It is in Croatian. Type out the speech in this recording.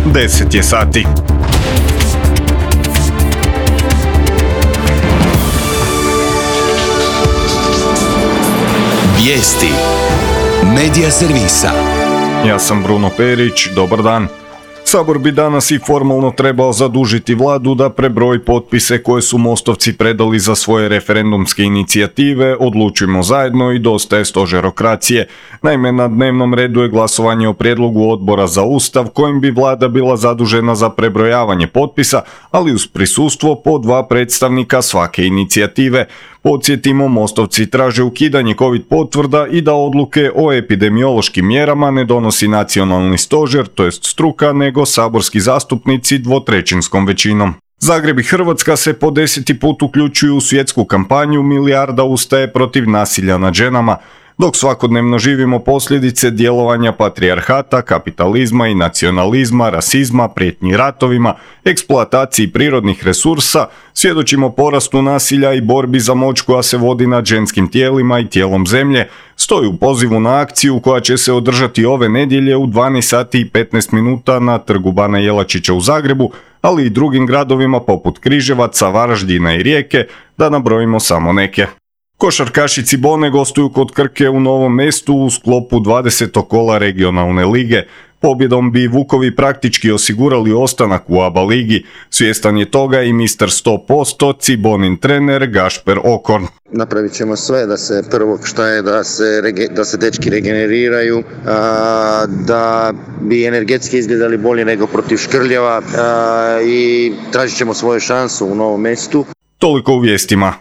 10 je sati. Vijesti Medija servisa. Ja sam Bruno Perić, dobar dan. Sabor bi danas i formalno trebao zadužiti vladu da prebroji potpise koje su Mostovci predali za svoje referendumske inicijative Odlučujmo zajedno i Dosta je stožerokracije. Naime, na dnevnom redu je glasovanje o prijedlogu Odbora za Ustav kojim bi vlada bila zadužena za prebrojavanje potpisa, ali uz prisustvo po 2 predstavnika svake inicijative. Podsjetimo, Mostovci traže ukidanje COVID potvrda i da odluke o epidemiološkim mjerama ne donosi nacionalni stožer, to jest struka, nego saborski zastupnici 2/3 većinom. Zagreb i Hrvatska se po 10. put uključuju u svjetsku kampanju Milijarda ustaje protiv nasilja nad ženama. Dok svakodnevno živimo posljedice djelovanja patrijarhata, kapitalizma i nacionalizma, rasizma, prijetnji ratovima, eksploataciji prirodnih resursa, svjedočimo porastu nasilja i borbi za moć koja se vodi nad ženskim tijelima i tijelom zemlje, stoji u pozivu na akciju koja će se održati ove nedjelje u 12 sati i 15 minuta na Trgu Bana Jelačića u Zagrebu, ali i drugim gradovima poput Križevaca, Varaždina i Rijeke, da nabrojimo samo neke. Košarkaši Cibone gostuju kod Krke u Novom Mestu u sklopu 20. kola regionalne lige. Pobjedom bi Vukovi praktički osigurali ostanak u ABA ligi. Svjestan je toga i mister 100%, Cibonin trener Gašper Okorn. Napravit ćemo sve da se prvo što je da se dečki regeneriraju, da bi energetski izgledali bolje nego protiv Škrljeva i tražit ćemo svoju šansu u Novom Mestu. Toliko u vijestima.